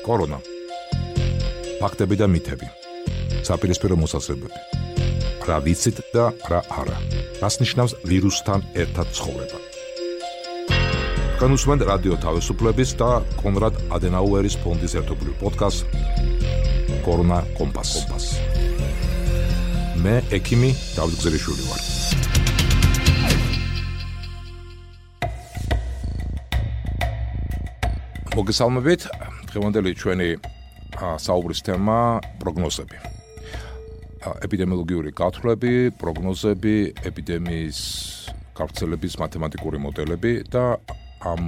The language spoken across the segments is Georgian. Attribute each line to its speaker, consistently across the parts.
Speaker 1: კორონა. ფაქტები და მითები. საპირისპირო მოსაზრებები. რა ვიცით და რა არა. რას ნიშნავს ვირუსთან ერთად ცხოვრება. განუსმენთ რადიო თავისუფლების და კონრად ადენაუერის ფონდის ერთობლივ პოდკასტ კორონა კომპას. მე ექიმი დავით გზელიშვილი ვარ. მოგესალმებით, დღევანდელი ჩვენი საუბრის თემა პროგნოზები. ეპიდემიოლოგიური გათვლები, პროგნოზები, ეპიდემიის გავრცელების მათემატიკური მოდელები და ამ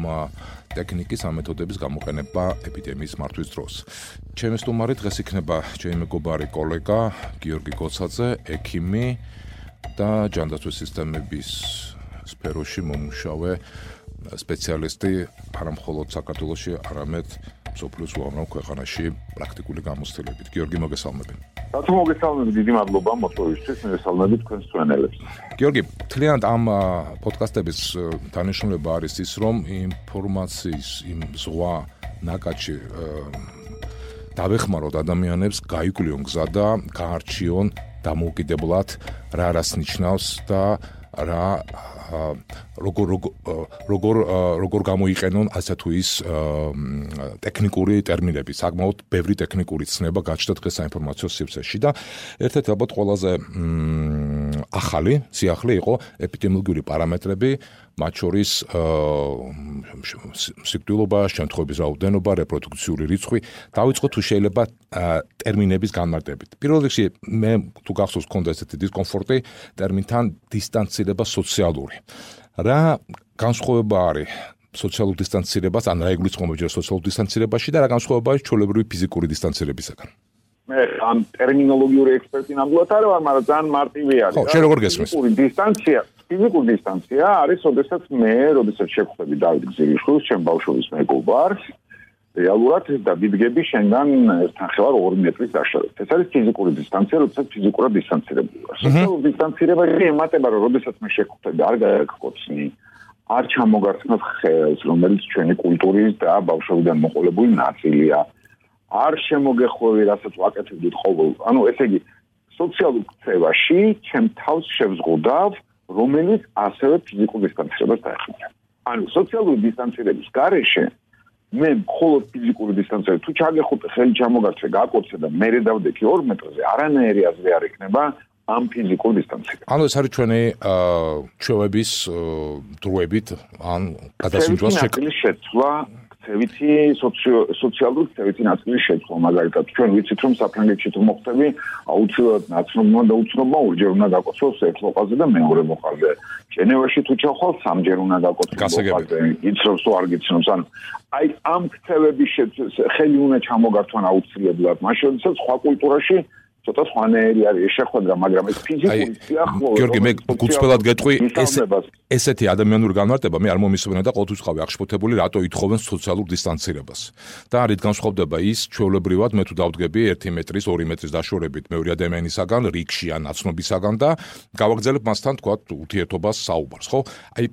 Speaker 1: ტექნიკის, ამ მეთოდების გამოყენება ეპიდემიის მართვის დროს. ჩემი სტუმარი დღეს იქნება ჩემი მეგობარი კოლეგა გიორგი გოცაძე, ექიმი და ჯანდაცვის სისტემების სფეროში მომუშავე სპეციალისტი, არა მხოლოდ საქართველოში, არამედ მსოფლიოს უამრავ ქვეყანაში პრაქტიკული გამოცდილებით. გიორგი, მოგესალმები.
Speaker 2: რატომ მოგესალმებით, დიდი მადლობა მოწვევისთვის, მოგესალმებით თქვენს მშვენელებს.
Speaker 1: გიორგი, თლიანად ამ პოდკასტების დანიშნულება არის ის, რომ ინფორმაციის იმ ზღვა ნაკადში დავეხმაროთ ადამიანებს, გაიკვლიონ გზა და გაარჩიონ დამოუკიდებლად რა რას ნიშნავს და რა როგორ გამოიყენონ ასე თუ ის ტექნიკური ტერმინები, საკმაოდ ბევრი ტექნიკური ცნება გაჩნდა დღეს საინფორმაციო სივრცეში და ერთ-ერთი ალბათ ყველაზე ახალი სიახლე იყო ეპიდემიოლოგიური პარამეტრები, მათ შორის სიკვდილობა, შემთხვევების რაოდენობა, რეპროდუქციული რიცხვი. დავიწყოთ თუ შეიძლება ტერმინების განმარტებით. პირველ რიგში მე თუ გახსოვს მქონდა ესეთი დისკომფორტი ტერმინთან დისტანცირება სოციალური. რა განსხვავება არის სოციალურ დისტანცირებას, ან რა იგულისხმება სოციალურ დისტანცირებაში და რა განსხვავება არის ჩვეულებრივი ფიზიკური დისტანცირებისგან?
Speaker 2: მე ამ ტერმინოლოგიური ექსპერტი ნამდვილად არ ვარ, მაგრამ ძალიან მარტივი არის.
Speaker 1: ხო, შენ როგორ გესმის?
Speaker 2: ფიზიკური დისტანცია არის, როდესაც შევხვდები დავით გზელიშვილს, ჩემ ბავშვობის მეგობარს, რეალურად დავიდგები შენგან ერთნახევარ 2 მეტრის დაშორებით. ეს არის ფიზიკური დისტანცია, როდესაც ფიზიკურად დისტანცირებული ვარ. სოციალური დისტანცირებაში ემატება, რომ როდესაც მე შევხვდები, არ გაგკოცნი, არ ჩამოგარცხნოთ ხელს, რომელიც ჩვენი კულტურის და ბავშვობიდან მოყოლებული ნაწილია. არ შემოგეხვევი, რასაც ვაკეთებდით ყოველ. ესე იგი, სოციალურ ქცევაში ჩემ თავს შევზღუდავ, რომელიც ასევე ფიზიკურ დისტანცირებას დაეხმარება. სოციალური დისტანცირების გარეშე მე მხოლოდ ფიზიკური დისტანცირება, თუ ჩაგეხუტე, ხელი ჩამოგარჩე, გაკოცე და მერე დავდექი 2 მეტრზე, არანაირი აზრი არ იქნება ამ ფიზიკურ დისტანცირებას.
Speaker 1: ეს არის ჩვენი ჩვევების დროებით, ან გადასინჯვას შეცვლა. სოციალური ქცევითი ნაწილის შეცვლა, მაგალითად, ჩვენ ვიცით, რომ საფრანგეთში თუ მოხდები, აუცილებლად ნაცნობმა და უცნობმა ორჯერ უნდა გაკოცოს ერთ ლოყაზე და მეორე ლოყაზე. ჟენევაში თუ ჩახვალ, 3ჯერ უნდა გაკოცოს ლოყაზე. იცნობს თუ არ გიცნობს, ამ ქცევების ხელი უნდა ჩამოგართვან აუცილებლად. მაშინ, როდესაც სხვა კულტურაში ცოტა სხვანაირი არის შეხვედრა, მაგრამ ეს ფიზიკური სიახლოვე. გიორგი, მე გუწფელად გეტყვი, ესეთი ადამიანური განმარტება მე არ მომისმენა და ყოველთვის ვიყავი აღშფოთებული, რატო ითხოვენ სოციალურ დისტანცირებას. და რით განსხვავდება ის ჩვეულებრივად მე თუ დავდგები 1 მეტრის, 2 მეტრის დაშორებით მეორე ადამიანისაგან, რიგში ან ნაცნობისაგან და გავაგრძელებ მასთან თქვა ურთიერთობას საუბარს, ხო?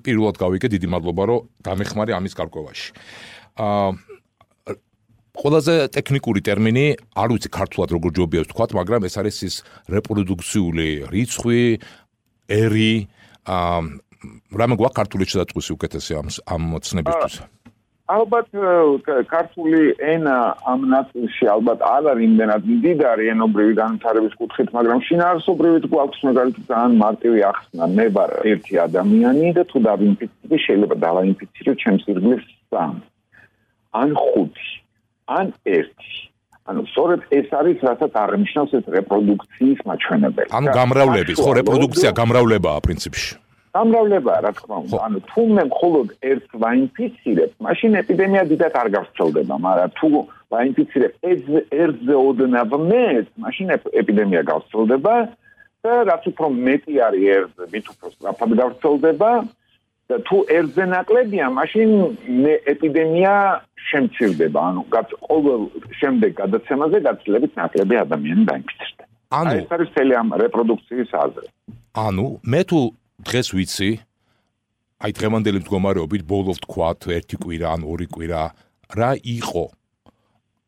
Speaker 1: პირველად გავიგე, დიდი მადლობა, რომ გამეხმარე ამის გარკვევაში. ყველაზე ტექნიკური ტერმინი, არ ვიცი ქართულად როგორ ჯობია ვთქვათ, მაგრამ ეს არის ის რეპროდუქციული რიცხვი, ერი, რამე გვაქვს ქართული გადაწყვეტი უკეთესი ამ ცნებისთვის.
Speaker 2: ალბათ ქართული ენა ამ ნაწილში ალბათ არ არის იმდენად მდიდარი ენობრივი განვითარების კუთხით, მაგრამ შინაარსობრივით გვაქვს მაგალითად ძალიან მარტივი ახსნა. მე ვარ ერთი ადამიანი და თუ დავინფიცირდი, შეიძლება დავაინფიცირებ ჩემს ირგვლივ 3 ან 5. ან 1. სწორედ ეს არის, რასაც აღნიშნავს ეს რეპროდუქციის მაჩვენებელი.
Speaker 1: გამრავლების, ხო, რეპროდუქცია გამრავლებაა პრინციპში.
Speaker 2: გამრავლებაა, რა თქმა უნდა. თუ მე მხოლოდ ერთს ვაინფიცირებ, მაშინ ეპიდემია დიდად არ გავრცელდება, მაგრამ თუ ვაინფიცირებ ერთზე ოდნავ მეტს, მაშინ ეპიდემია გავრცელდება და რაც უფრო მეტი არის ერთზე, მით უფრო სწრაფად გავრცელდება. და თუ ერთზე ნაკლებია, მაშინ ეპიდემია შემცირდება. ყოველ შემდეგ გადაცემაზე გაცილებით ნაკლები ადამიანი დაინფიცირდება. ეს არის მთელი ამ რეპროდუქციის აზრი.
Speaker 1: მე თუ დღეს ვიცი, დღევანდელი მდგომარეობით ბოლო ვთქვათ, 1 კვირა ან 2 კვირა, რა იყო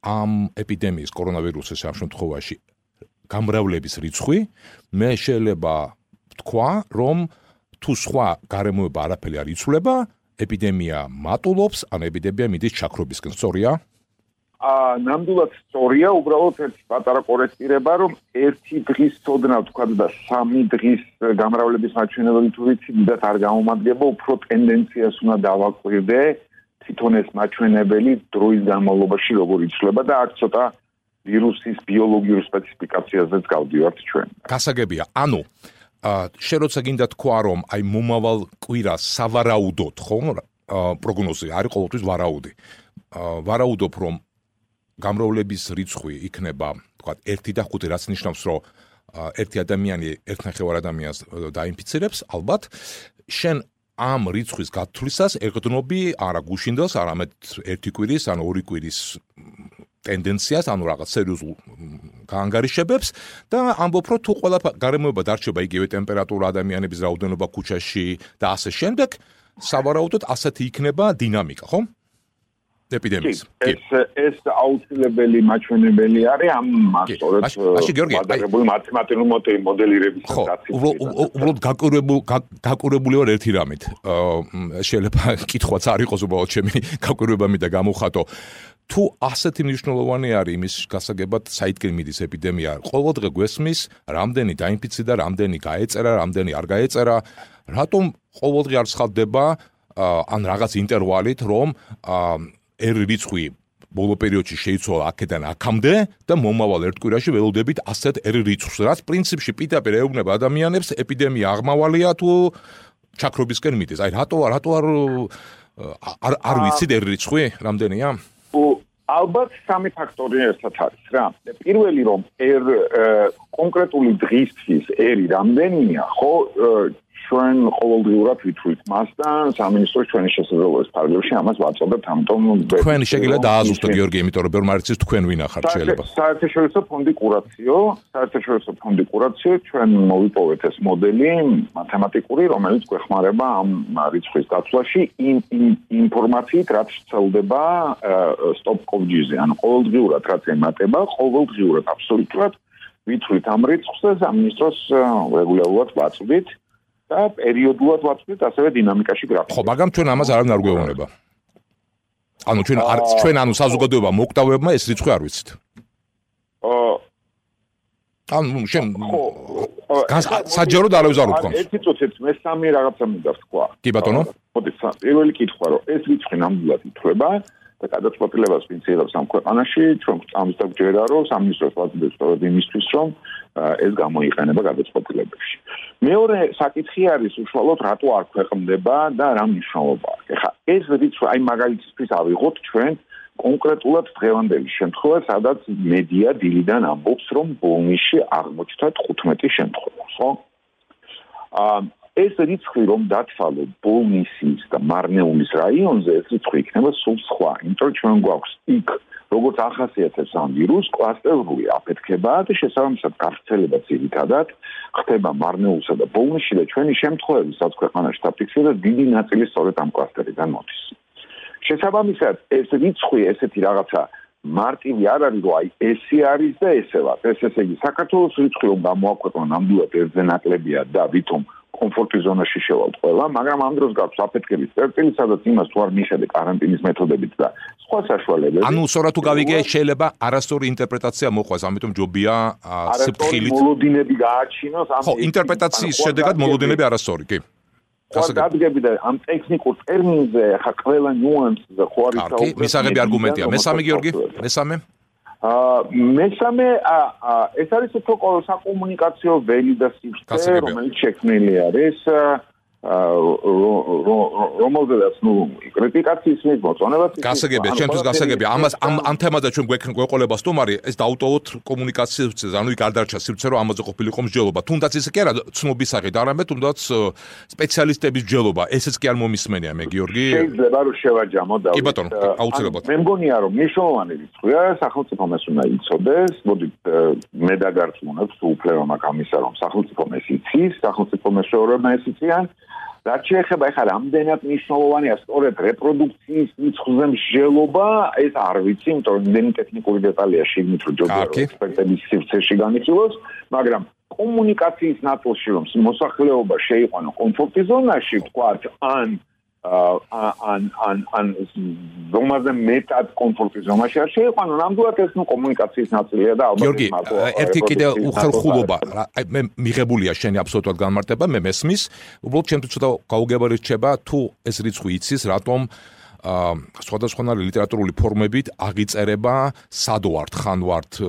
Speaker 3: ამ ეპიდემიის კორონავირუსის ამ შემთხვევაში გამრავლების რიცხვი მე შეიძლება ვთქვა, რომ თუ სხვა გარემოება არაფერი არ იცვლება, ეპიდემია მატულობს, ან ეპიდემია მიდის ჩაქრობისკენ, სწორია?
Speaker 2: ნამდვილად სწორია, უბრალოდ ერთი პატარა კორექტირება, რომ ერთი დღის ცოდნა თქვა და 3 დღის გამრავლების მაჩვენებელი თუ ვიცი, დიდად არ გამომადგება, უფრო ტენდენციას უნდა დავაკვირდე, თვითონ ეს მაჩვენებელი დროის განმავლობაში როგორ იცვლება და აქ ცოტა ვირუსის ბიოლოგიურ სპეციფიკაციაზეც გავდივართ ჩვენ.
Speaker 3: გასაგებია, ანუ შენ როცა გინდა თქვა, რომ აი მომავალ კვირას სავარაუდოდ, ხო, პროგნოზი არის ყოველთვის ვარაუდი. ვარაუდობ, რომ გამრავლების რიცხვი იქნება, თქვა 1 და 5, რაც ნიშნავს, რომ ერთი ადამიანი 1.5 ადამიანს დაინფიცირებს, ალბათ, შენ ამ რიცხვის გათვლისას ეკდნობი არა გუშინდელს, არამედ 1 კვირის, ან 2 კვირის ტენდენციას, ანუ რაღაც სერიოზულ გაანგარიშებებს და ამბობ, რომ თუ ყველა გარემოება დარჩება იგივე ტემპერატურა, ადამიანების რაოდენობა ქუჩაში და ასე შემდეგ, სავარაუდოდ ასეთი იქნება დინამიკა, ხო? ეპიდემიის.
Speaker 2: ეს აუცილებელი მაჩვენებელი არის ამ სწორედ მოდელირებული მათემატიკური მოდელირების
Speaker 3: დაცვის. უბრალოდ გაკვირვებული ვარ ერთი რამით. შეიძლება კითხვაც არ იყოს უბრალოდ ჩემი გაკვირვებამი და გამოხატო. თუ ასეთი მნიშვნელოვანი არის იმის გასაგებად, საითკენ მიდის ეპიდემია, ყოველდღე გვესმის, რამდენი დაინფიცირდა, რამდენი გაეწერა, რამდენი არ გაეწერა, რატომ ყოველდღე არ ცხადდება ან რაღაც ინტერვალით, რომ რიცხვი ბოლო პერიოდში შეიცვალა აქედან აქამდე და მომავალ ერთ კვირაში ველოდებით ასეთ რიცხვს, რაც პრინციპში პირდაპირ ეუბნება ადამიანებს, ეპიდემია აღმავალია თუ ჩაქრობისკენ მიდის. აი რატო არ ვიცით რიცხვი რამდენია?
Speaker 2: ალბათ 3 ფაქტორი ერთად არის რა. პირველი რომ კონკრეტული დღისთვის რამდენია, ხო, ჩვენ ყოველდღიურად ვითვლით მას და სამინისტროს ჩვენი შესაძლებლობის ფარგლებში ამას ვაწოდებთ, ამიტომ
Speaker 3: თქვენ შეგიძლიათ დააზუსტოთ გიორგი, იმიტომ რომ ბევრი მარიცის თქვენ ვინ ახართ შეიძლება.
Speaker 2: საერთაშორისო ფონდი კურაციო, ჩვენ მოვიპოვეთ ეს მოდელი მათემატიკური, რომელიც გვეხმარება ამ რიცხვის დაცვაში ინფორმაციით, რაც ვრცელდება stop.gz-ზე, ანუ ყოველდღიურად რაც ემატება, ყოველდღიურად აბსოლუტურად ვითვლით ამ რიცხვს და სამინისტროს რეგულარულად ვაწვდით. და პერიოდულად ვაწვდით ასევე დინამიკაში გრაფიკი.
Speaker 3: ხო, მაგრამ ჩვენ ამას არავინ არ გვეუბნება. ანუ ჩვენ საზოგადოება მოკვდავებმა ეს რიცხვი არ ვიცით. ანუ საჯაროდ არავის არ უთქვამს.
Speaker 2: ერთი წუთით მესამე რაღაცა მინდა ვთქვა.
Speaker 3: კი ბატონო.
Speaker 2: მოდი, პირველი კითხვა რომ ეს რიცხვი ნამდვილად ითვლება და გადაწყვეტილებას ვინც იღებს ამ ქვეყანაში, ჩვენ ამის დაგვჯერა რომ სამინისტროს ვაწვდით სწორედ იმისთვის რომ ეს გამოიყენება გადაწყვეტილებებში. მეორე საკითხი არის უშუალოდ რატო არ ქვეყნდება და რა მნიშვნელობა აქვს. ეხლა ეს რიცხვი აი მაგალითისთვის ავიღოთ ჩვენ კონკრეტულად დღევანდელი შემთხვევა, სადაც მედია დილიდან ამბობს რომ ბოლნისში აღმოჩნდა 15 შემთხვევა, ხო? ეს რიცხვი რომ დათვალო ბოლნისის და მარნეულის რაიონზე, ეს რიცხვი იქნება სულ სხვა, იმიტომ რომ ჩვენ გვაქვს იქ როგორც ახასიათებს ამ ვირუსს, კლასტერული აფეთქება და შესაბამისად გავრცელება ძირითადად ხდება მარნეულსა და ბოლნისში და ჩვენი შემთხვევები სადაც ქვეყანაში დაფიქსირდა დიდი ნაწილი სწორედ ამ კლასტერიდან მოდის. შესაბამისად ეს რიცხვი ესეთი რაღაცა მარტივი არ არის, რომ აი ესე არის და ესე ვარ. ესე იგი საქართველოს რიცხვი რომ გამოაქვეყნა ნამდვილად ერთზე ნაკლებია და ვითომ კომფორტის ზონაში შევალთ ყველა, მაგრამ ამ დროს გაქვს აფეთქების წერტილი, სადაც იმას თუ არ მიხედე კარანტინის მეთოდებით და სხვა საშუალებებით.
Speaker 3: ანუ სწორად თუ გავიგე, შეიძლება არასწორი ინტერპრეტაცია მოყვას, ამიტომ ჯობია სიფრთხილით.
Speaker 2: მოლოდინები გააჩინოს ამ
Speaker 3: ხო, ინტერპრეტაციის შედეგად მოლოდინები არასწორი, კი.
Speaker 2: გასაგები და ამ ტექნიკურ ტერმინზე ხა ყველა ნიუანსზე ხო არის
Speaker 3: საუბარი. მისაღები არგუმენტია. მესამე გიორგი, მესამე
Speaker 2: მესამე ეს არის უფრო საკომუნიკაციო ველი და სისტემა, რომელიც შექმნილი არის რომელზედაც კრიტიკაციის მოწონებაც
Speaker 3: გასაგებია, ჩვენთვის გასაგებია. ამას ამ თემაზე ჩვენ გვეყოლება სტუმარი, ეს დაუტოვოთ კომუნიკაციაზე, ანუ იქ არ დარჩა სივრცე, რომ ამაზე ყოფილიყო მსჯელობა. თუნდაც ისე კი არა ცნობისაღით, არამედ თუნდაც სპეციალისტების მსჯელობა. ესეც კი არ მომისმენია მე გიორგი.
Speaker 2: შეიძლება რომ შევაჯამო და
Speaker 3: კი ბატონო, აუცილებლად.
Speaker 2: მე მგონია რომ მნიშვნელოვანი რიცხვია, სახელმწიფომ ეს უნდა იცოდეს. მოდით მე დაგარწმუნებ, თუ უფლება მაქვს ამისა, რომ სახელმწიფომ ეს იცის, სახელმწიფო მეშვეობებმა ეს იციან. რაც შეეხება ეხლა რამდენად მნიშვნელოვანია სწორედ რეპროდუქციის რიცხვზე მსჯელობა, ეს არ ვიცი, იმიტომ რომ იმდენი ტექნიკური დეტალია შეგნით რომ ჯობია ექსპერტების სივრცეში განიხილოს, მაგრამ კომუნიკაციის ნაწილში რომ მოსახლეობა შეიყვანო კომფორტის ზონაში, ვთქვათ, ან ზომაზე მეტად კომფორტის ზონაში არ შეიყვანო, ნამდვილად ეს კომუნიკაციის ნაწილია და ალბათ
Speaker 3: გიორგი, ერთი კიდე უხელხულობა, მე მიღებულია შენი აბსოლუტურად განმარტება, მე მესმის, უბრალოდ ჩემთვის ცოტა გაუგებარი რჩება, თუ ეს რიცხვი იცის, რატომ სხვადასხვანაირი ლიტერატურული ფორმებით აღიწერება სად ვართ, ხან ვართ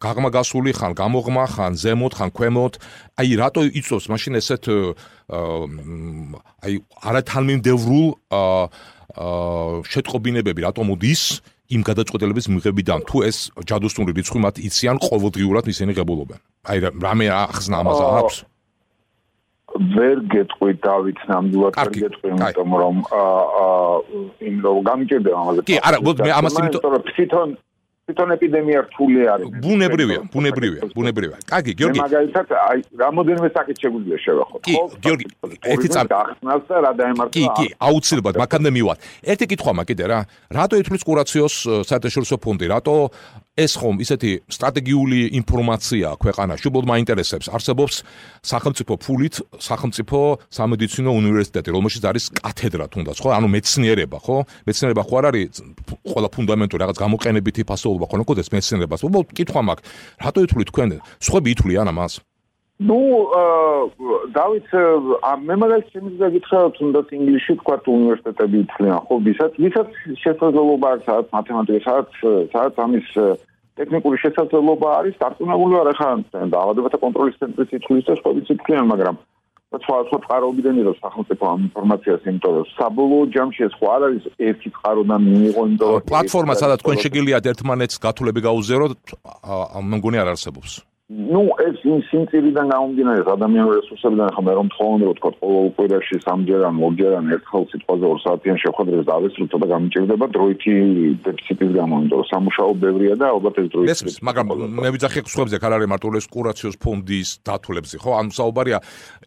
Speaker 3: გაღმაგასული, ხან გამოღმა, ხან ზემოთ, ხან ქვემოთ. აი რატო იწვევს მაშინ ესეთ აი არათანმიმდევრულ შეტყობინებები, რატო მოდის იმ გადაწყვეტილების მიღებიდან, თუ ეს ჯადოსნური რიცხვი მათ იციან ყოველდღიურად ისინი ღებულობენ. აი რამე ახსნა ამაზე აქვს?
Speaker 2: ვერ გეტყვი დავით ნამდვილად ვერ გეტყვი იმიტომ რომ გამიჭირდება ამაზე.
Speaker 3: კი, არა, მე ამას
Speaker 2: იმიტომ თვითონ ეპიდემია რთული არის.
Speaker 3: ბუნებრივია. კარგი, გიორგი.
Speaker 2: მაგალითად, აი, რამოდენიმე საკითხი შეგვიძლია შევახოთ.
Speaker 3: კი, გიორგი, ერთი წამი
Speaker 2: ახსნას და რა დაემართება.
Speaker 3: კი, აუცილებლად, მაგამდე მივად. ერთი კითხვა მაქვს კიდე რა. რატო ითვლის კურაციოს საერთაშორისო ფონდი? რატო ეს ხომ ისეთი სტრატეგიული ინფორმაცია ქვეყანაში უბრალოდ მაინტერესებს. არსებობს სახელმწიფო ფულით, სახელმწიფო სამედიცინო უნივერსიტეტი, რომელშიც არის კათედრა თუნდაც, ხო? ანუ მეცნიერება, ხო? მეცნიერება ხო არ არის ყველა ფუნდამენტური რაღაც გამოყენებითი ფასეულობა ხო ნაკოდეს მეცნიერებას. უბრალოდ კითხვა მაქვს, რატო ითვლით თქვენ? სხვები ითვლიან ამას?
Speaker 2: ნუ დავით, მე მაგალითად შემიძლია გითხრა, თუნდაც ინგლისში თქვა უნივერსიტეტები ითვლიან, ხო, ვისაც შესაძლებლობა აქვს, სადაც მათემატიკა, სადაც ამის ტექნიკური შესაძლებლობა არის, დარწმუნებული ვარ, ახლა დაავადებათა კონტროლის ცენტრის ითვლის და სხვაებიც ითვლიან, მაგრამ სხვა წყაროებიდან იღებს სახელმწიფო ამ ინფორმაციას, იმიტომ რომ საბოლოო ჯამში ეს ხო არ არის ერთი წყაროდან მიიღო, იმიტომ რომ
Speaker 3: პლატფორმა, სადაც თქვენ შეგიძლიათ ერთმანეთს გათვლები გაუზიაროთ, მე მგონი არ არსებობს.
Speaker 2: ნუ ეს სიმწირიდან გამომდინარე ადამიანური რესურსებიდან ახლა მე რომ თხოვნა რომ თქვა ყოველ კვირაში 3-ჯერ ან 4-ჯერ ან ერთხელ სიტყვაზე 2 საათიან შეხვედრებს დავესრულოთ და გამიჭირდება დროითი დეფიციტის გამო, იმიტომ რომ სამუშაო ბევრია და ალბათ ეს დროითი.
Speaker 3: მესმის, მაგრამ მე ვიძახი სხვებზე არ არის მარტო ეს კურაციოს ფონდის დათვლებზე, ხო? ანუ საუბარია,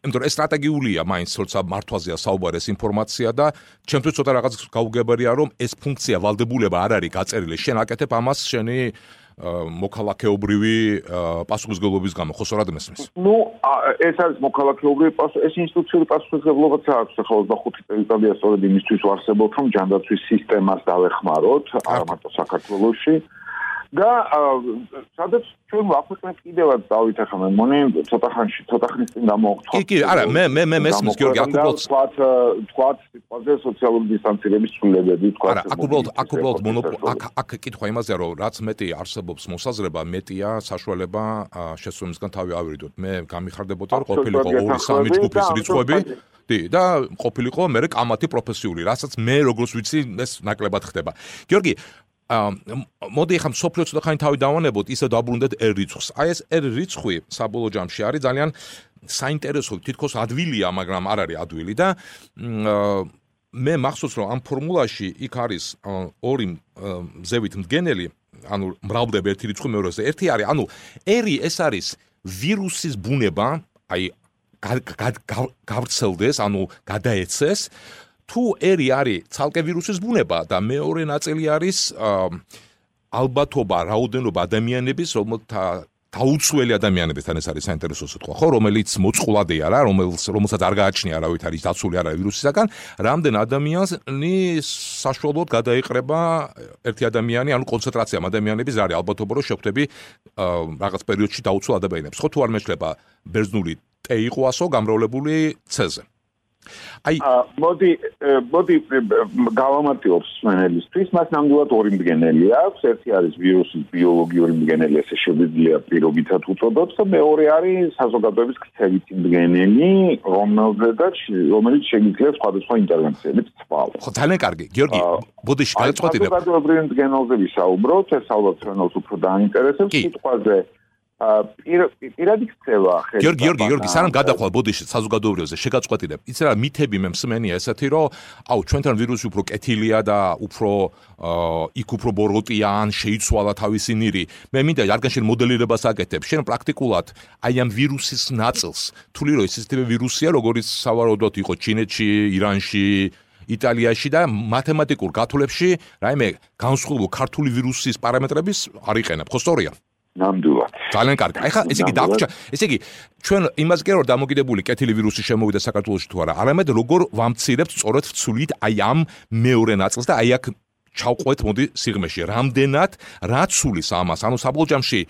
Speaker 3: იმიტომ რომ ეს სტრატეგიულია მაინც, როცა მართვაზეა საუბარი ეს ინფორმაცია და ჩემთვის ცოტა რაღაც გაუგებარია, რომ ეს ფუნქცია ვალდებულება არ არის გაწერილი. შენ აკეთებ ამას შენი მოქალაქეობრივი პასუხისმგებლობის გამო, ხო სწორად მესმის?
Speaker 2: ნუ ეს არის მოქალაქეობრივი ეს ინსტიტუციური პასუხისმგებლობაც აქვს, ახლა 25 წელიწადია სწორედ იმისთვის ვარსებობთ, რომ ჯანდაცვის სისტემას დავეხმაროთ, არა მარტო საქართველოში. და სადაც ჩვენ ვაქვეყნებთ კიდევაც დავით ახლა მე მგონი ცოტა ხნის წინ გამოვხსნა.
Speaker 3: კი, არა, მე მესმის გიორგი, აქ უბრალოდ
Speaker 2: თქვათ სიტყვაზე სოციალური დისტანცირების ცვლილებები, თქვათ.
Speaker 3: არა, აქ უბრალოდ აქ კითხვა იმაზე, რომ რაც მეტი არსებობს მოსაზრება, მეტია საშუალება შესრულებისგან თავი ავირიდოთ. მე გამიხარდებოდა, რომ ყოფილიყო 2-3 ჯგუფის რიცხვები. და ყოფილიყო მე კამათი პროფესიული, რასაც მე როგორც ვიცი, ეს ნაკლებად ხდება. გიორგი, მოდი ახლა სოფლიო ცოტახანი თავი დავანებოთ, ისე დაბრუნდეთ R რიცხვს. აი ეს R რიცხვი საბოლოო ჯამში არის ძალიან საინტერესო, თითქოს ადვილია, მაგრამ არ არის ადვილი და მე მახსოვს, რომ ამ ფორმულაში იქ არის ორი ზევით მდგენელი, ანუ მრავლდება ერთი რიცხვი მეორეზე. ერთი არის, ანუ R ეს არის ვირუსის ბუნება, აი გავრცელდეს, ანუ გადაეცეს. თუ R არის ცალკე ვირუსის ბუნება და მეორე ნაწილი არის ალბათობა, რაოდენობა ადამიანების, რომელთა დაუცველი ადამიანებისთან ეს არის საინტერესო სიტყვა, ხო, რომელიც მოწყვლადია რა, რომელსაც არ გააჩნია არავით არის დაცული არა ვირუსისაგან, რამდენ ადამიანი საშუალოდ გადაიყრება ერთი ადამიანი, ანუ კონცენტრაცია ადამიანების რა არის ალბათობა, რომ შეხვდები რაღაც პერიოდში დაუცველ ადამიანებს. ხო, თუ არ მეშლება ბერძნული T იყო 100 გამრავლებული C-ზე.
Speaker 2: მოდი გავამარტივებს სმენელისთვის, მას ნამდვილად ორი მდგენელი აქვს. ერთი არის ვირუსის ბიოლოგიური მდგენელი, ესე შეგვიძლია პირობითად უწოდოთ და მეორე არის საზოგადოების ქცევითი მდგენელი, რომელიც შეგვიძლია სხვადასხვა ინტერვენციებით ცვალოს.
Speaker 3: ხო, ძალიან კარგი. გიორგი, ბოდიში გადაწყვეტილებ.
Speaker 2: საზოგადოებრივ მდგენელზე ვისაუბროთ, ეს ალბათ ჩვენს უფრო დაინტერესებს სიტყვაზე პირადი ქცევა
Speaker 3: გიორგი სანამ გადახვალ ბოდიში საზოგადოებრივზე შეგაწყვეტინებ იცი რა მითები მე მსმენია ესეთი რომ აუ ჩვენთან ვირუსი უფრო კეთილია და უფრო იქ უფრო ბოროტია ან შეიცვალა თავისი ნირი მე მინდა რადგან შენ მოდელირებას აკეთებ შენ პრაქტიკულად აი ამ ვირუსის ნაწილს თვლი რომ ეს ისეთივე ვირუსია როგორც სავარაუდოდ იყო ჩინეთში ირანში იტალიაში და მათემატიკურ გათვლებში რაიმე განსხვავებული ქართული ვირუსის პარამეტრების არ იყენებ ხო სწორია
Speaker 2: ნამდვილად.
Speaker 3: ძალიან კარგი. აი ხა ესე იგი დაგვრჩა. ესე იგი ჩვენ იმას კი რომ დამოკიდებული კეთილი ვირუსი შემოვიდა საქართველოში თუ არა, არამედ როგორ ვამცირებთ სწორედ ვცვლით აი ამ მეორე ნაწილს და აი აქ ჩავყვეთ მოდი სიღრმეში. რამდენად რა ცulis ამას, ანუ საბოლოო ჯამში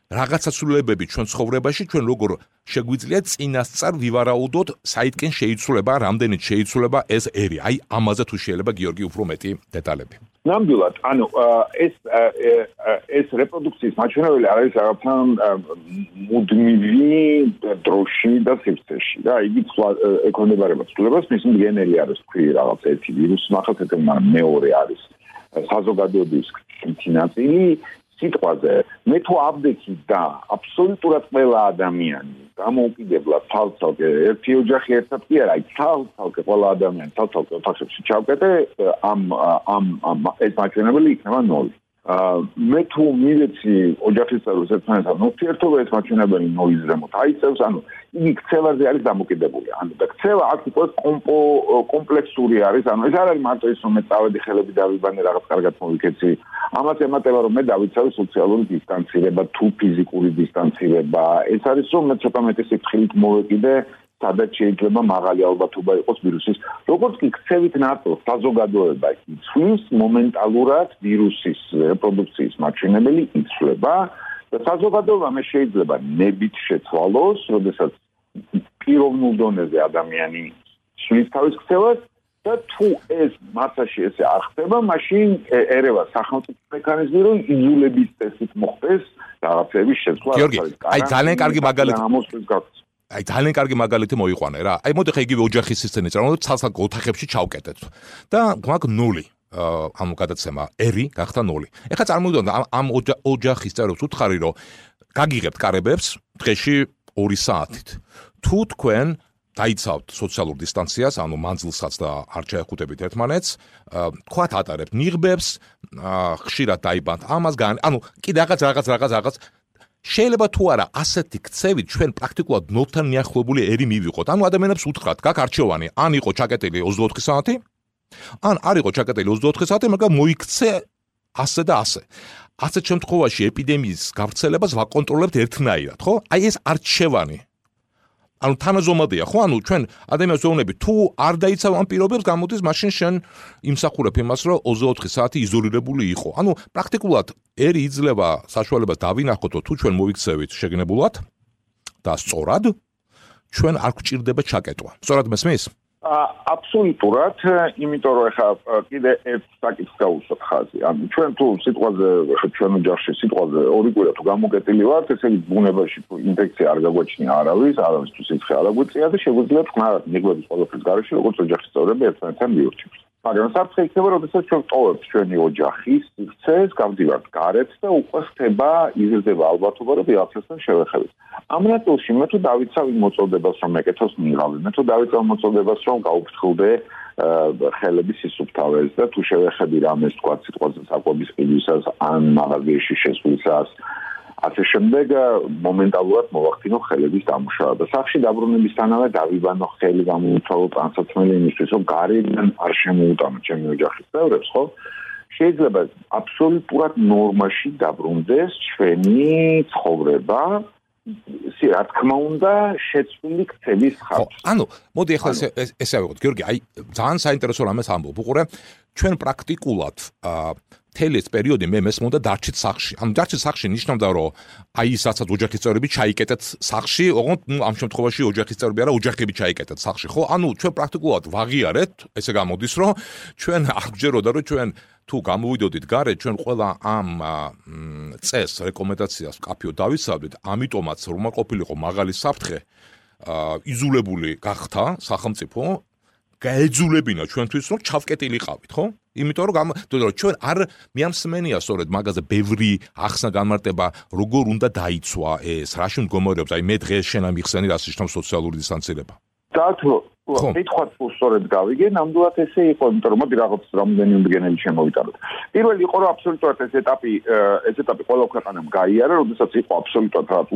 Speaker 3: რაღაცა ცვლილებები ჩვენ ცხოვრებაში ჩვენ როგორ შეგვიძლია წინასწარ ვივარაუდოთ საითკენ შეიცვლება, რამდენიც შეიცვლება ეს ერი. აი ამაზე თუ შეიძლება გიორგი უფრო მეტი დეტალები.
Speaker 2: ნამდვილად, ანუ ეს რეპროდუქციის მაჩვენებელი არის რაღაცა მუდმივი დროში და სივრცეში და იგი ეკონებარება ცვლილებას, მის მდგენელი არის თქვი რაღაც ერთი ვირუსი, ახალ მეორე არის საზოგადოების ნაწილი სიტყვაზე მე თუ აბდექი და აბსოლუტურად ყველა ადამიანი დამოუკიდებლად თალთალკე ერთი ოჯახი ერთად კი არა, თალთალკე ყველა ადამიანი თალთალკე ოთახებში ჩავკეტე ამ ეს მაჩვენებელი იქნება 0. მე თუ მივეცი ოჯახის წევრებს ერთმანეთთან ურთიერთობა ეს მაჩვენებელი 0-ის ზემოთ აიწევს, ანუ იგი ქცევაზე არის დამოკიდებული. ანუ და ქცევა აქ იყოს კომპლექსური არის, ანუ ეს არ არის მარტო ის რომ მე წავედი ხელები დავიბანე რაღაც კარგად მოვიქეცი. ამას ემატება რომ მე დავიცავი სოციალური დისტანცირება თუ ფიზიკური დისტანცირება. ეს არის რომ მე ცოტა მეტი სიფრთხილით მოვეკიდე სადაც შეიძლება მაღალი ალბათობა იყოს ვირუსის. როგორც კი ქცევით ნაწილს საზოგადოება იცვლის, მომენტალურად ვირუსის რეპროდუქციის მაჩვენებელი იცვლება და საზოგადოება მე შეიძლება ნებით შეცვალოს, როდესაც პიროვნულ დონეზე ადამიანი ცვლის თავის ქცევას და თუ ეს მასაში ესე არ ხდება, მაშინ ერევა სახელმწიფო მექანიზმი რომ იძულების წესით მოხდეს რაღაცების შეცვლა.
Speaker 3: გიორგი, აი ძალიან კარგი მაგალითი აი ძალიან კარგი მაგალითი მოიყვანე რა. აი მოდი ხა იგივე ოჯახის სცენით რა, რომ ცალ-ცალ ოთახებში ჩავკეტეთ. და გვაქვს 0. ამ გადაცემა ერი გახდა 0. ეხლა წარმოვიდგინოთ ამ ოჯახის წევრებს უთხარი რომ გაგიღებთ კარებებს დღეში 2 საათით. თუ თქვენ დაიცავთ სოციალურ დისტანციას, ანუ მანძილსაც და არ შეეხუტებით ერთმანეთს, თქვათ ატარებთ ნიღბებს, ხშირად დაიბანთ ამას, ანუ კიდე რაღაც შეიძლება თუ არა ასეთი ქცევით ჩვენ პრაქტიკულად 0-თან მიახლოებული ერი მივიღოთ. ანუ ადამიანებს უთხრათ, გაკ არჩევანი, ან იყო ჩაკეტილი 24 საათი, ან არ იყო ჩაკეტილი 24 საათი, მაგრამ მოიქცე ასე და ასე. ასეთ შემთხვევაში ეპიდემიის გავრცელებას ვაკონტროლებთ ერთნაირად, ხო? აი ეს არჩევანი ანუ თანაზომადია, ხო? ანუ ჩვენ ადამიანს ვეუბნები, თუ არ დაიცავ ამ პირობებს, გამოდის მაშინ შენ იმსახურებ იმას, რომ 24 საათი იზოლირებული იყო. ანუ პრაქტიკულად ერი იძლევა საშუალებას დავინახოთ, თუ ჩვენ მოიქცევით შეგნებულად და სწორად, ჩვენ არ გვჭირდება ჩაკეტვა. სწორად მესმის?
Speaker 2: აბსოლუტურად, იმიტომ რომ ეხა კიდე ერთ საკითხს გავუსვათ ხაზი. ანუ ჩვენ თუ სიტყვაზე, ჩვენ ოჯახში სიტყვაზე 2 კვირა თუ გამოკეტილი ვართ, ესე იგი ბუნებაში თუ ინფექცია არ გაგვაჩნია არავის თუ სიცხე არ აგვიწია და შეგვიძლია თქვენად ნიღბების ყველაფრის გარეშე როგორც ოჯახის წევრები ერთმანეთთან მივირჩევთ. მაგრამ საფრთხე იქნება, როდესაც ჩვენ ტოვებთ ჩვენი ოჯახის სივრცეს, გავდივართ გარეთ და უკვე ხდება იზრდება ალბათობა, რომ ვიღაცასთან შევეხებით. ამ ნაწილში მე თუ დავიცავ იმ მოწოდებას, რომ მეკეთოს ნიღაბი, მე თუ დავიცავ მოწოდებას, რომ გავუფრთხილდე ხელების სისუფთავეს და თუ შევეხები რამეს თქვა სიტყვაზე საკვების ყიდვისას ან მაღაზიაში შესვლისას ასე შემდეგ მომენტალურად მოვახდინო ხელების დამუშავება. სახში დაბრუნებისთანავე დავიბანო ხელი გამომთვალო ტანსაცმელი იმისთვის, რომ გარედან არ შემოუტანო ჩემი ოჯახის წევრებს, ხო? შეიძლება აბსოლუტურად ნორმაში დაბრუნდეს ჩვენი ცხოვრება. რა თქმა უნდა, შეცვლილი ქცევის ხარჯზე.
Speaker 3: ანუ მოდი ახლა ესე ავიღოთ, გიორგი, აი ძალიან საინტერესო რამეს ამბობ. უყურე, ჩვენ პრაქტიკულად მთელი ეს პერიოდი მე მესმოდა დარჩით სახლში. ანუ დარჩით სახლში ნიშნავდა, რომ აი ის რასაც ოჯახის წევრები ჩაიკეტეთ სახლში, ოღონდ ამ შემთხვევაში ოჯახის წევრები არა, ოჯახები ჩაიკეტეთ სახლში, ხო? ანუ ჩვენ პრაქტიკულად ვაღიარეთ, ესე გამოდის, რომ ჩვენ არ გვჯეროდა, რომ ჩვენ თუ გამოვიდოდით გარეთ, ჩვენ ყველა ამ წეს რეკომენდაციას კაფეო დავიცავდით, ამიტომაც რომ ყოფილიყო მაღალი საფრთხე, იზოლებული გახდა სახელმწიფო გაეძულებინა ჩვენთვის რომ ჩავკეტილიყავით, ხო? იმიტომ რომ ჩვენ არ მიამსმენია სწორედ მაგაზე ბევრი ახსნა განმარტება როგორ უნდა დაიცვა ეს, რაში მდგომარეობს, აი მე დღეს შენ ამიხსენი რას ნიშნავს სოციალური დისტანცირება.
Speaker 2: დათო კითხვაც სწორედ გავიგე, ნამდვილად ესე იყო, იმიტომ რომ მოდი რაღაც რამდენი უნდიგენელი შემოვიტანოთ. პირველი იყო რომ აბსოლუტურად ეს ეტაპი ყველა ქვეყანამ გაიარა, როდესაც იყო აბსოლუტურად რაღაც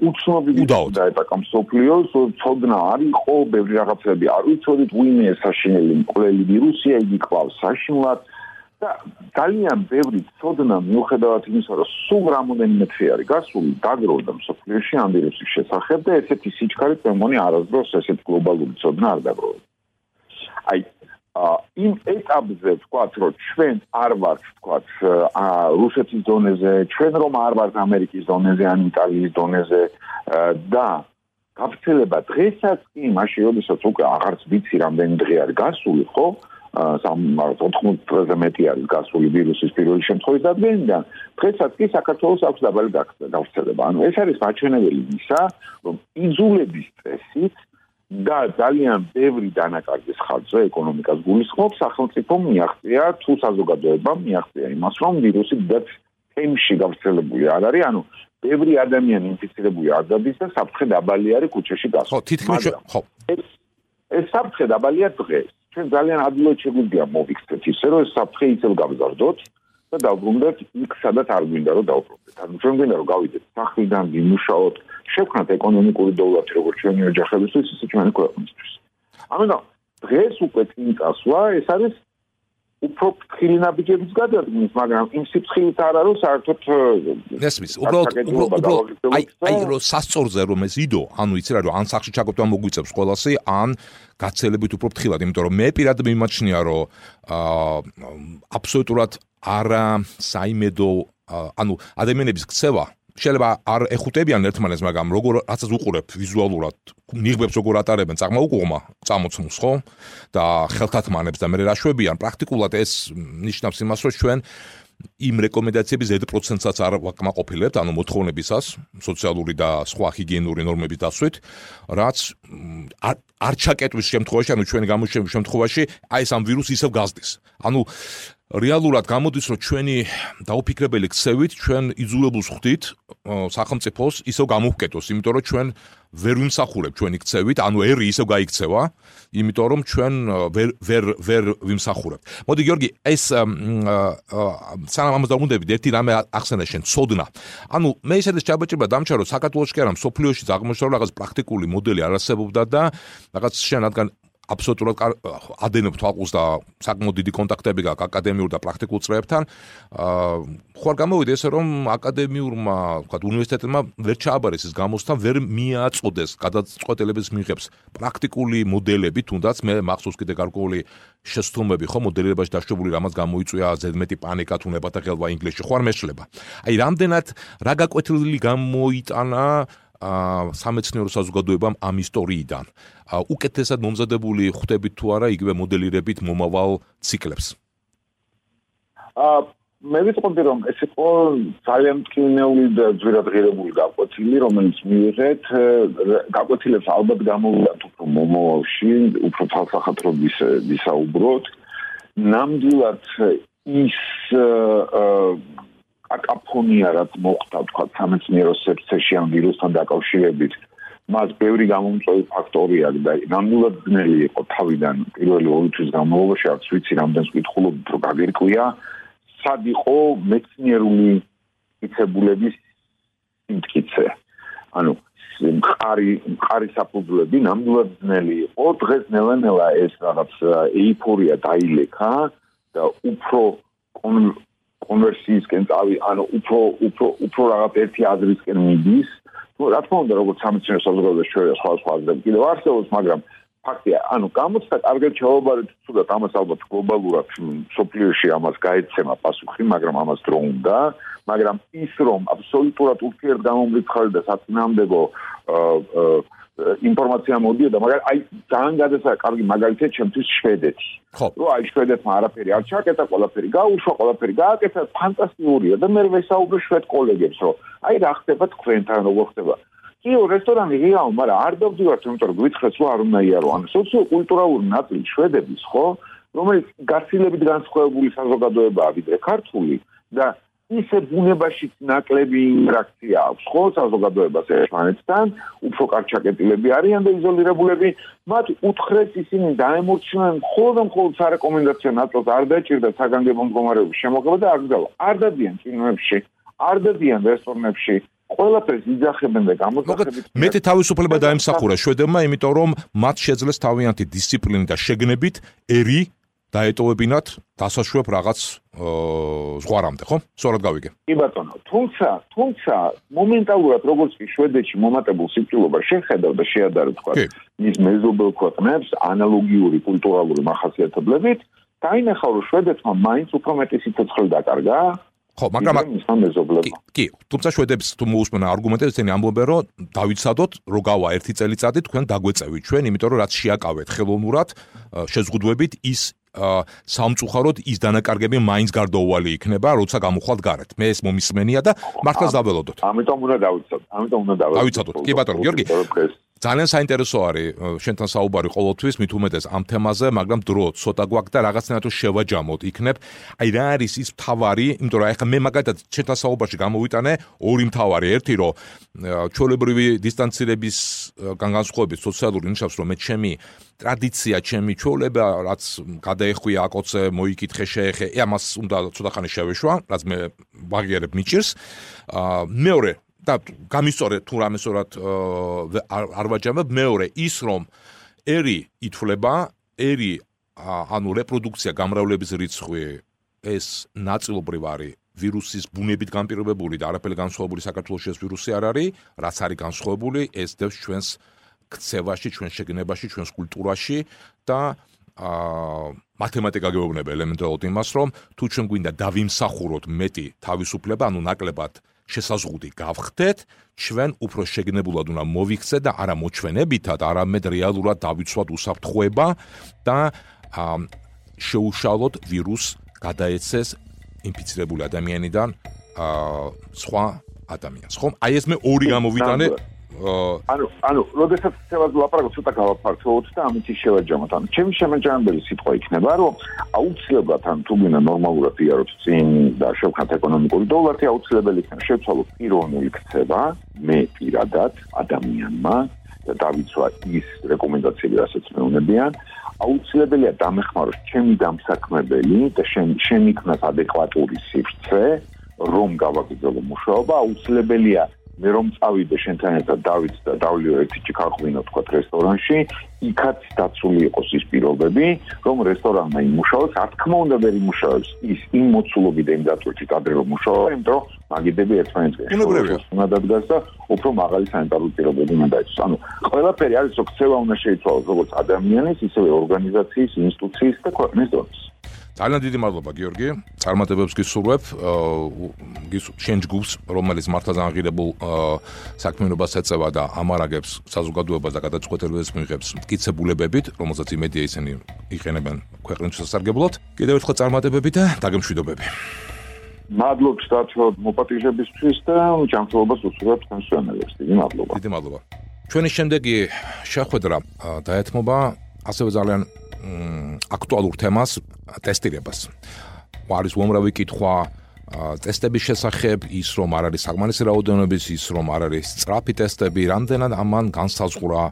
Speaker 2: უცნობი და ეტაპი მსოფლიოს, ცოდნა არ იყო, ბევრი რაღაცები არ ვიცოდით, ვინმე საშინელი მკვლელი ვირუსია, იგი კლავს საშინლად და ძალიან ბევრი ცოდნა მიუხედავად იმისა, რომ სულ რამოდენიმე თვე არის გასული, დაგროვდა მსოფლიოში ამ ვირუსის შესახებ და ესეთი სიჩქარით მე მგონი არასდროს ესეთი გლობალური ცოდნა არ დაგროვდა. აი იმ ეტაპზე ვთქვათ, რომ ჩვენ არ ვართ ვთქვათ რუსეთის დონეზე, ჩვენ რომ არ ვართ ამერიკის დონეზე ან იტალიის დონეზე და გავრცელება დღესაც კი მაშინ როდესაც უკვე აღარც ვიცი რამდენი დღე არის გასული, ხო? 80 დღეზე მეტი არის გასული ვირუსის პირველი შემთხვევის დადგენიდან, დღესაც კი საქართველოს აქვს დაბალი გავრცელება. ანუ ეს არის მაჩვენებელი ისა, რომ იძულების წესით და ძალიან ბევრი დანაკარგის ხარჯზე ეკონომიკას გულისხმობს, სახელმწიფომ მიაღწია თუ საზოგადოებამ მიაღწია იმას, რომ ვირუსი დიდ თემში გავრცელებული არ არის, ანუ ბევრი ადამიანი ინფიცირებული არ დადის და საფრთხე დაბალი არის ქუჩაში გასვლა.
Speaker 3: ხო, თითქმის ხო.
Speaker 2: ეს საფრთხე დაბალია დღეს. ჩვენ ძალიან ადვილად შეგვიძლია მოვიქცეთ ისე, რომ ეს საფრთხე ისევ გავზარდოთ და დავბრუნდეთ იქ, სადაც არ გვინდა რომ დავბრუნდეთ. ანუ ჩვენ გვინდა რომ გავიდეთ სახლიდან, ვიმუშაოთ, შევქნათ ეკონომიკური დოვლათი როგორც ჩვენი ოჯახებისთვის, ისე ჩვენი ქვეყნისთვის. ამიტომ დღეს უკვე წინ წასვლა, ეს არის უფრო ფრთხილი ნაბიჯების გადადგმის, მაგრამ იმ სიფრთხილით არ არის საერთოდ
Speaker 3: ესმის, უბრალოდ აი რომ სასწორზე რომ ეს იდო, ანუ იცი რა რომ ან სახში ჩაგոտვა მოგვიწევს ყველასი, ან გაცელებით უფრო ფრთხილად, იმიტომ რომ მე პირადად მიმაჩნია რომ აბსოლუტურად არა საიმედო, ანუ ადამიანების ქცევა შეიძლება არ ეხუტებიან ერთმანეთს, მაგრამ როგორ რაცაც უყურებ ვიზუალურად, ნიღბებს როგორ ატარებენ წაღმაუყუღმა, წამოცმულს, ხო? და ხელთათმანებს და მე რაშვებიან, პრაქტიკულად ეს ნიშნავს იმას, რომ ჩვენ იმ რეკომენდაციების Z%-საც არ ვაკმაყოფილებთ, ანუ მოთხოვნებისას, სოციალური და სხვა ჰიგიენური ნორმების დასვით, რაც არ ჩაკეტვის შემთხვევაში, ანუ ჩვენი გამოჩენის შემთხვევაში, აი ეს ამ ვირუსს ისევ გაზრდის. ანუ რეალურად გამოდის, რომ ჩვენი დაუფიქრებელი ქცევით ჩვენ იძულებულს ხვდით სახელმწიფოს ისევ გამოვკეტოს, იმიტომ რომ ჩვენ ვერ ვიმსახურებ ჩვენი ქცევით, ანუ ერი ისევ გაიქცევა, იმიტომ რომ ჩვენ ვერ ვიმსახურებ. მოდი გიორგი, ეს სანამ ამას დავუნდებით, ერთი რამე ახსენე შენ, ცოდნა. ანუ მე ისედაც ჩაბაჭირება დამჩა, რომ საქართველოში კი არა, მსოფლიოში აღმოჩნდა რაღაც პრაქტიკული მოდელი არ არსებობდა და რაღაც შენ რადგან აბსოლუტურად ადენებ თვალყურს და საკმაოდ დიდი კონტაქტები გაქვს აკადემიურ და პრაქტიკულ წრეებთან. ხო არ გამოვიდა ესე რომ აკადემიურმა, ვთქვათ, უნივერსიტეტმა ვერ ჩააბარეს ეს გამოცდა, ვერ მიაწოდეს გადაწყვეტილების მიღებს პრაქტიკული მოდელები, თუნდაც მე მახსოვს კიდე გარკვეული შეცდომები ხო მოდელირებაში დაშვებული, რამაც გამოიწვია ზედმეტი პანიკა თუ ნებათა ხელვა ინგლისში, ხო არ მეშლება. აი რამდენად რა გაკვეთილი გამოიტანა სამეცნიერო საზოგადოებამ ამ ისტორიიდან. უკეთესად მომზადებული ხვდებით თუ არა იგივე მოდელირებით მომავალ ციკლებს?
Speaker 2: მე ვიტყოდი რომ ეს იყო ძალიან მტკივნეული და ძვირადღირებული გაკვეთილი, რომელიც მიიღეთ გაკვეთილებს ალბათ გამოვიდათ უფრო მომავალში, უფრო თვალსახათროდ ვისაუბროთ. ნამდვილად ის აკაფონია რაც მოხდა თქვა სამეცნიერო სექციაში ამ ვირუსთან დაკავშირებით, მას ბევრი გამომწვევი ფაქტორი აქვს და ნამდვილად ძნელი იყო თავიდან პირველი 2 თვის განმავლობაში, არც ვიცი რამდენს ვკითხულობთ, რომ გაგირკვია, სად იყო მეცნიერული მტკიცებულების სიმტკიცე. ანუ მყარი საფუძვლები ნამდვილად ძნელი იყო, დღეს ნელა-ნელა ეს რაღაც ეიფორია დაილექა და უფრო კონვერსიისკენ ანუ უფრო რაღაც ერთი აზრისკენ მიდის. რა თქმა უნდა, როგორც სამეცნიერო საზოგადოებაში შეიძლება სხვა აზრები კიდევ არსებობს, მაგრამ ფაქტია, ანუ გამოცდა კარგად ჩავაბარეთ, თუნდაც ამას ალბათ გლობალურად სოფლიოში ამას გაეცემა პასუხი, მაგრამ ამას დრო უნდა, მაგრამ ის რომ აბსოლუტურად ურთიერთგამომრიცხავი და საწინააღმდეგო ინფორმაცია მოდიოდა, მაგრამ აი ძალიან კარგი მაგალითია ჩემთვის შვედეთი. რომ აი შვედეთმა არაფერი არ ჩაკეტა, ყველაფერი გაუშვა, ყველაფერი გააკეთა, ფანტასტიკურია და მე ვესაუბრე შვედ კოლეგებს, რომ აი რა ხდება თქვენთან, როგორ ხდება. კიო რესტორანი ღიაო, მაგრამ არ დავდივართ, იმიტომ რომ გვითხრეს რომ არ უნდა იარო. ანუ სოციო-კულტურალური ნაწილი შვედების, ხო, რომელიც გაცილებით განსხვავებული საზოგადოებაა ვიდრე ქართული და ისე ბუნებაშიც ნაკლები ინტერაქცია აქვს, ხო, საზოგადოებას ერთმანეთთან, უფრო კარგ ჩაკეტილები არიან და იზოლირებულები, მათ უთხრეს ისინი დაემორჩნენ მხოლოდ სარეკომენდაციო ნაწილს არ დაჭირდა საგანგებო მდგომარეობის შემოღება და არ დადიან კინოებში, არ დადიან რესტორნებში. ყველაფერს იძახებენ და გამოძახებით.
Speaker 3: მეტი თავისუფლება დაემსახურა შვედებმა, იმიტომ რომ მათ შეძლეს თავიანთი დისციპლინით და შეგნებით ერი დაეტოვებინათ დასაშვებ რაღაც ზღვარამდე, ხო? სწორად გავიგე.
Speaker 2: კი ბატონო, თუმცა მომენტალურად როგორც კი შვედეთში მომატებულ სიკვდილობას შეხედავ და შეადარებ თქვა მის მეზობელ ქვეყნებს ანალოგიური კულტურალური მახასიათებლებით, დაინახა რომ შვედეთმა მაინც უფრო მეტი სიცოცხლე დაკარგა.
Speaker 3: ხო, მაგრამ კი, თუმცა შვედებს თუ მოусმენ არგუმენტებს, ისინი ამბობენ, რომ დავიცადოთ, რომ გავა 1 წელიწადი თქვენ დაგვეწევით ჩვენ, იმიტომ რომ რაც შეაკავეთ ხელოვნურად, შეზღუდვებით ის სამწუხაროდ ის დანაკარგები მაინც გარდაუვალი იქნება, როცა გამოვხვალთ გარეთ. მე ეს მომისმენია და მართლაც დაველოდოთ.
Speaker 2: ამიტომ უნდა
Speaker 3: დავიცადოთ. კი ბატონო, გიორგი. ძალიან საინტერესო არის შენთან საუბარი ყოველთვის, მით უმეტეს ამ თემაზე, მაგრამ დრო ცოტა გვაქვს და რაღაცნაირად შევაჯამოთ იქნებ. აი რა არის ის მთავარი, იმიტომ რომ ახლა მე მაგალითად შენთან საუბარში გამოვიტანე ორი მთავარი, ერთი რომ ჩვეულებრივი დისტანცირების განსხვავებით სოციალური ნიშნავს, რომ მე ჩემი ტრადიცია, ჩემი ჩვეულება, რაც გადაეხვია აკოცე, მოიკითხე, შეეხე, ამას უნდა ცოტა ხანი შევეშვა, რაც მე ვაღიარებ მიჭირს. მეორე და გამისწორე თუ რამე სწორად არ ვაჯამებ, მეორე ის რომ ერი ითვლება, ანუ რეპროდუქცია, გამრავლების რიცხვი ეს ნაწილობრივ არის ვირუსის ბუნებით განპირობებული და არაფერი განსხვავებული საქართველოში ეს ვირუსი არ არის, რაც არის განსხვავებული, ეს დევს ჩვენს ქცევაში, ჩვენს შეგნებაში, ჩვენს კულტურაში და მათემატიკა გეუბნება ელემენტარულად იმას, რომ თუ ჩვენ გვინდა დავიმსახუროთ მეტი თავისუფლება, ანუ ნაკლებად შესაზღუდი გავხდეთ, ჩვენ უფრო შეგნებულად უნდა მოვიქცეთ და არა მოჩვენებითად, არამედ რეალურად დავიცვათ უსაფრთხოება და შეუშალოთ ვირუსს გადაეცეს ინფიცირებული ადამიანიდან სხვა ადამიანს. ხომ? აი ეს მე ორი გამოვიტანე.
Speaker 2: ანუ, როდესაც ცევას ლაპარაკობ, ცოტა გავაფართოვოთ და ამით შევაჯამოთ. ანუ, ჩემი შემაჯამებელი სიტყვა იქნება, რომ აუცილებლად ან თუ გინდა ნორმალურად იაროთ წინ და შევქნათ ეკონომიკური დოლარი, აუცილებელი იქნება შევცვალოთ პიროვნული ქცევა, მე პირადად ადამიანმა და დავიცვა ის რეკომენდაციები, რასაც მეუნებიან. აუცილებელია დამეხმაროს ჩემი დამსაქმებელი და შემიქმნას ადეკვატური სივრცე, რომ გავაგრძელო მუშაობა, აუცილებელია მე რომ წავიდე შენთან ერთად დავით და დავლიო ერთი ჩიქარღვინო თქვა რესტორანში, იქაც დაცული იყოს ის პირობები, რომ რესტორანმა იმუშაოს, რა თქმა უნდა ვერ იმუშაოს ის იმ მოცულობით და იმ დატვირთით ადრე რომ მუშაობა, იმიტომ რომ მაგიდები ერთმანეთს უნდა დადგას და უფრო მაღალი სანიტარული პირობები უნდა დაიცვას. ანუ ყველაფერი არის, რომ ქცევა უნდა შეიცვალოს როგორც ადამიანის, ისევე ორგანიზაციის, ინსტიტუციის და ქვეყნის დონეზე.
Speaker 3: ძალიან დიდი მადლობა გიორგი, წარმატებებს გისურვებ, შენ ჯგუფს, რომელიც მართლაც აღირებულ საქმიანობას ეწევა და ამარაგებს საზოგადოებას და გადაწყვეტილებებს მიიღებს მტკიცებულებებით, რომელსაც იმედია ისინი იყენებენ ქვეყნის სასარგებლოდ. კიდევ ერთხელ წარმატებები და დაგემშვიდობები.
Speaker 2: მადლობთ დათო მოპატიჟებისთვის და ჯანმრთელობას უსურვებ თქვენს სვენელებს. დიდი მადლობა.
Speaker 3: დიდი მადლობა. ჩვენი შემდეგი შეხვედრა დაეთმობა ასევე ძალიან აქტუალურ თემას, ტესტირებას. არის უამრავი კითხვა ტესტების შესახებ, ის რომ არ არის საკმარისი რაოდენობის, ის რომ არ არის სწრაფი ტესტები, რამდენად ამან განსაზღვრა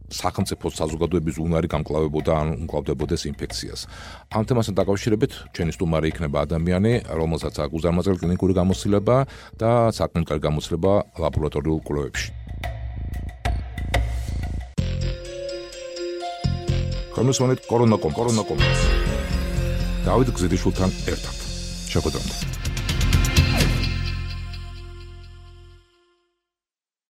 Speaker 3: სახელმწიფო საზოგადოების უნარი გამკლავებოდა ან უმკლავდებოდეს ინფექციას. ამ თემასთან დაკავშირებით ჩვენი სტუმარი იქნება ადამიანი, რომელსაც აქვს უზარმაზარი კლინიკური გამოცდილება და საკმაოდ გამოცდილება ლაბორატორიულ კვლევებში. Kommen wir mit Corona.com. David Gzidishultan ერთად. შეხვედრამდე.